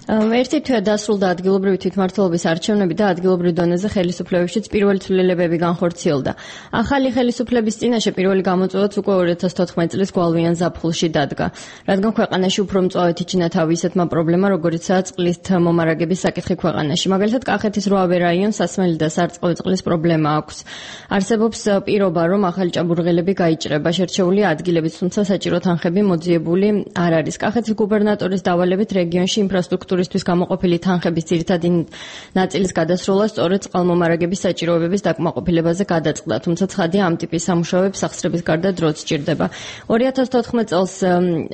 ერთი თვე დასრულდა ადგილობრივი თვითმმართველობის არჩევნები და ადგილობრივ დონეზე ხელისუფლებაშიც პირველი ცვლილებები განხორციელდა. ახალი ხელისუფლების წინაშე პირველი გამოწვევაც უკვე 2014 წლის გვალვიან ზაფხულში დადგა, რადგან ქვეყანაში უფრო მწვავედ იჩინა თავი ისეთმა პრობლემა, როგორიცაა წყლის მომარაგების საკითხი ქვეყანაში. მაგალითად, კახეთის 8 რაიონს სასმელი და სარწყავი წყლის პრობლემა აქვს. არსებობს პირობა, რომ ახალი ჭაბურღილები გაიჭრება, შერჩეულია ადგილებით, თუმცა საჭირო თანხები მოძიებული არ არის. კახეთის გუბერნატორის დავალებით რეგიონში ინფრასტრუქტურისთვის გამოყოფილი თანხების ძირითადი ნაწილის გადასროლა სწორედ წყალმომარაგების საჭიროებების დაკმაყოფილებაზე გადაწყდა, თუმცა ცხადია ამ ტიპის სამუშაოებს სახსრების გარდა დროც სჭირდება. 2014 წელს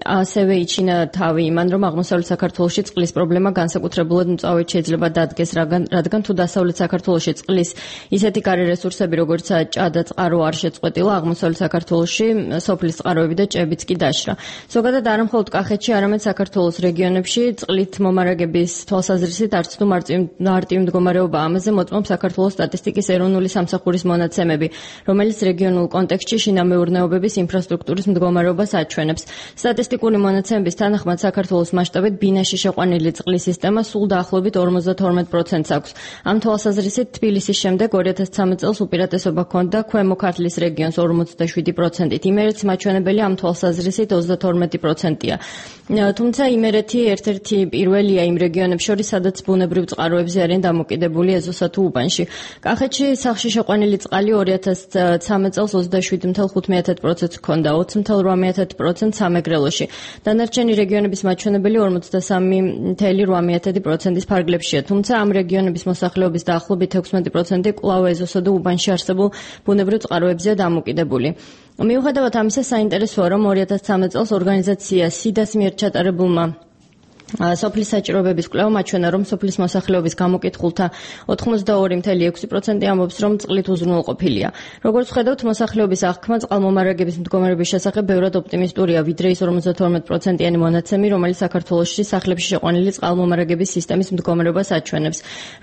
ასევე იჩინა თავი იმან, რომ აღმოსავლეთ საქართველოში წყლის პრობლემა განსაკუთრებულად მწვავედ შეიძლება დადგეს, რადგან თუ დასავლეთ საქართველოში წყლის ისეთი გარე რესურსები, როგორიცაა ჭა და წყარო არ შეწყვეტილა, აღმოსავლეთ საქართველოში სოფლის წყაროები და ჭებიც კი დაშრა. ზოგადად არა მხოლოდ კახეთში, არამედ საქართველოს რეგიონებში წყლით მომარაგების თვალსაზრისით არც თუ მარტივი მდგომარეობა. ამაზე მოწმობს საქართველოს სტატისტიკის ეროვნული სამსახურის მონაცემები, რომელიც რეგიონულ კონტექსტში შინამეურნეობების ინფრასტრუქტურის მდგომარეობას აჩვენებს. სტატისტიკური მონაცემების თანახმად საქართველოს მასშტაბით ბინაში შეყვანილი წყლის სისტემა სულ დაახლოებით 52%-ს აქვს. ამ თვალსაზრისით თბილისის შემდეგ 2013 წელს უპირატესობა ჰქონდა ქვემო ქართლის რეგიონს 47%-ით. იმერეთის მაჩვენებელი ამ თვალსაზრისით 32%-ია. თუმცა იმერეთი ერთ-ერთი პირველია იმ რეგიონებს შორის, სადაც ბუნებრივ წყაროებზე არიან დამოკიდებული ეზოსა თუ უბანში. კახეთში სახში შეყვანილი წყალი 2013 წელს 27,5%-ს ჰქონდა, 20,8% სამეგრელოში. დანარჩენი რეგიონების მაჩვენებელი 43,8%-ის ფარგლებშია, თუმცა ამ რეგიონების მოსახლეობის დაახლოებით 16% კვლავ ეზოსა და უბანში არსებულ ბუნებრივ წყაროებზეა დამოკიდებული. მიუხედავად ამისა, საინტერესოა, რომ 2013 წელს ორგანიზაცია SIDA-ს მიერ ჩატარებულმა სოფლის საჭიროებების კვლევამ აჩვენა, რომ სოფლის მოსახლეობის გამოკითხულთა 82,6% ამბობს, რომ წყლით უზრუნველყოფილია. როგორც ვხედავთ, მოსახლეობის აღქმა წყალმომარაგების მდგომარეობის შესახებ ბევრად ოპტიმისტურია, ვიდრე ის 52%-იანი მონაცემი, რომელიც საქართველოში სახლებში შეყვანილი წყალმომარაგების სისტემის მდგომარეობას აჩვენებს.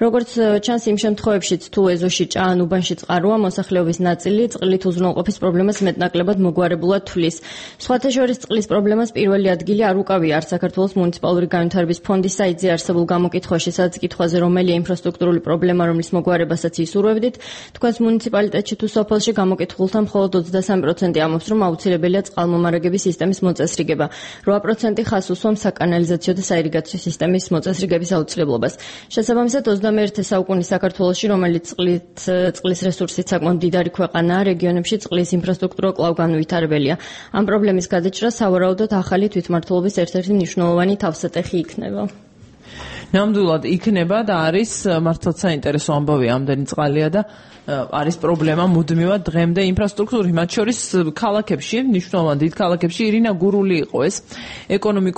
როგორც ჩანს, იმ შემთხვევებშიც, თუ ეზოში ჭა ან უბანში წყაროა, მოსახლეობის ნაწილი წყლით უზრუნველყოფის პრობლემას მეტნაკლებად მოგვარებულად თვლის. სხვათა შორის წყლის პრობლემას პირველი ადგილი არ უკავია არც საქართველოს მუნიციპალური განვითარების ფონდის საიტზე არსებულ გამოკითხვაში, სადაც კითხვაზე რომელია ინფრასტრუქტურული პრობლემა, რომლის მოგვარებასაც ისურვებდით, თქვენს მუნიციპალიტეტში თუ სოფელში გამოკითხულთა მხოლოდ 23% ამბობს, რომ აუცილებელია წყალმომარაგების სისტემის მოწესრიგება. 8% ხაზს უსვამს საკანალიზაციო და საირიგაციო სისტემის მოწესრიგების აუცილებლობას. შესაბამისად, 21 საუკუნის საქართველოში, რომელიც წყლის რესურსით საკმაოდ მდიდარი ქვეყანაა, რეგიონებში წყლის ინფრასტრუქტურა კვლავ განვითარებელია. ამ პრობლემის გადაჭრა სავარაუდოდ ახალი თვითმმართველობის ერთ-ერთი მნიშვნელოვანი თავსატეხი იქნება. ნამდვილად იქნება და არის მართლაც საინტერესო ამბავი, ამდენი წყალია და არის პრობლემა მუდმივად დღემდე ინფრასტრუქტურის, მათ შორის ქალაქებში, მნიშვნელოვან დიდ ქალაქებში. ირინა გურული იყო ეს ეკონომიკური